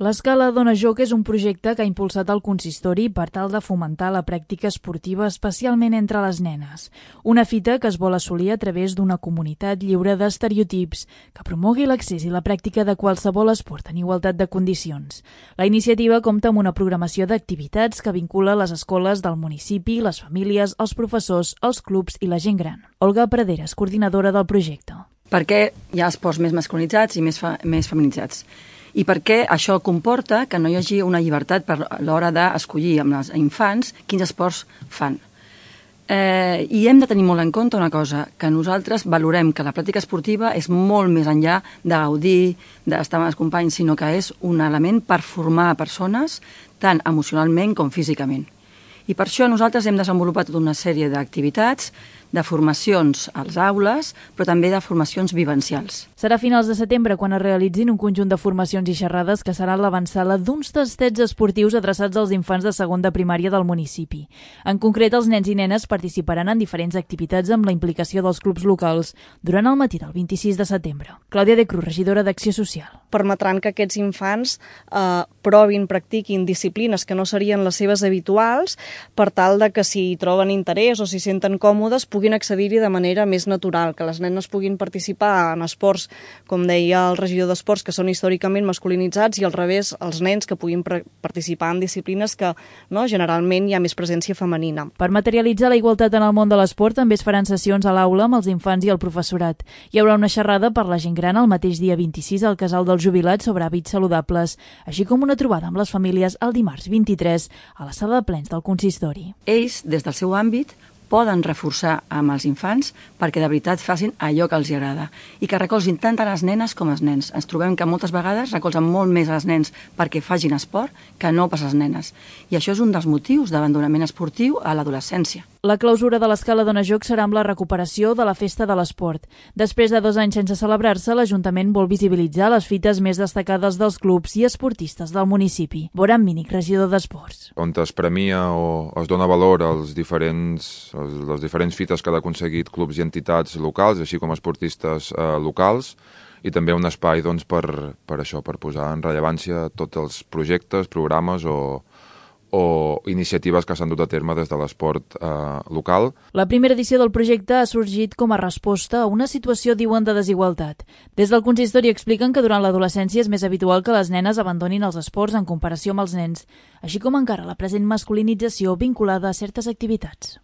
L'Escala Dona Joc és un projecte que ha impulsat el consistori per tal de fomentar la pràctica esportiva especialment entre les nenes. Una fita que es vol assolir a través d'una comunitat lliure d'estereotips que promogui l'accés i la pràctica de qualsevol esport en igualtat de condicions. La iniciativa compta amb una programació d'activitats que vincula les escoles del municipi, les famílies, els professors, els clubs i la gent gran. Olga Praderas, coordinadora del projecte. Perquè hi ha esports més masculinitzats i més feminitzats. I perquè això comporta que no hi hagi una llibertat per l'hora d'escollir amb els infants quins esports fan. I hem de tenir molt en compte una cosa, que nosaltres valorem que la pràctica esportiva és molt més enllà de gaudir, d'estar amb els companys, sinó que és un element per formar persones tant emocionalment com físicament. I per això nosaltres hem desenvolupat tota una sèrie d'activitats, de formacions als aules, però també de formacions vivencials. Serà a finals de setembre quan es realitzin un conjunt de formacions i xerrades que seran l'avantsala d'uns tastets esportius adreçats als infants de segon de primària del municipi. En concret, els nens i nenes participaran en diferents activitats amb la implicació dels clubs locals durant el matí del 26 de setembre. Clàudia de Cruz, regidora d'Acció Social. Permetran que aquests infants provin, practiquin disciplines que no serien les seves habituals, per tal de que si troben interès o s'hi senten còmodes puguin accedir-hi de manera més natural, que les nenes puguin participar en esports, com deia el regidor d'Esports, que són històricament masculinitzats, i al revés, els nens que puguin participar en disciplines que generalment hi ha més presència femenina. Per materialitzar la igualtat en el món de l'esport també es faran sessions a l'aula amb els infants i el professorat. Hi haurà una xerrada per la gent gran el mateix dia 26 al Casal dels Jubilats sobre hàbits saludables, així com una trobada amb les famílies el dimarts 23 a la sala de plens del consistori. Ells, des del seu àmbit, poden reforçar amb els infants perquè de veritat facin allò que els agrada i que recolzin tant a les nenes com als nens. Ens trobem que moltes vegades recolzen molt més als nens perquè facin esport que no pas als nenes. I això és un dels motius d'abandonament esportiu a l'adolescència. La clausura de l'Escala Dona Joc serà amb la recuperació de la Festa de l'Esport. Després de 2 anys sense celebrar-se, l'Ajuntament vol visibilitzar les fites més destacades dels clubs i esportistes del municipi. Boran Mínic, regidor d'Esports. On es premia o es dona valor als les diferents fites que han aconseguit clubs i entitats locals, així com esportistes locals, i també un espai per això, per posar en rellevància tots els projectes, programes o iniciatives que s'han dut a terme des de l'esport local. La primera edició del projecte ha sorgit com a resposta a una situació, diuen, de desigualtat. Des del consistori expliquen que durant l'adolescència és més habitual que les nenes abandonin els esports en comparació amb els nens, així com encara la present masculinització vinculada a certes activitats.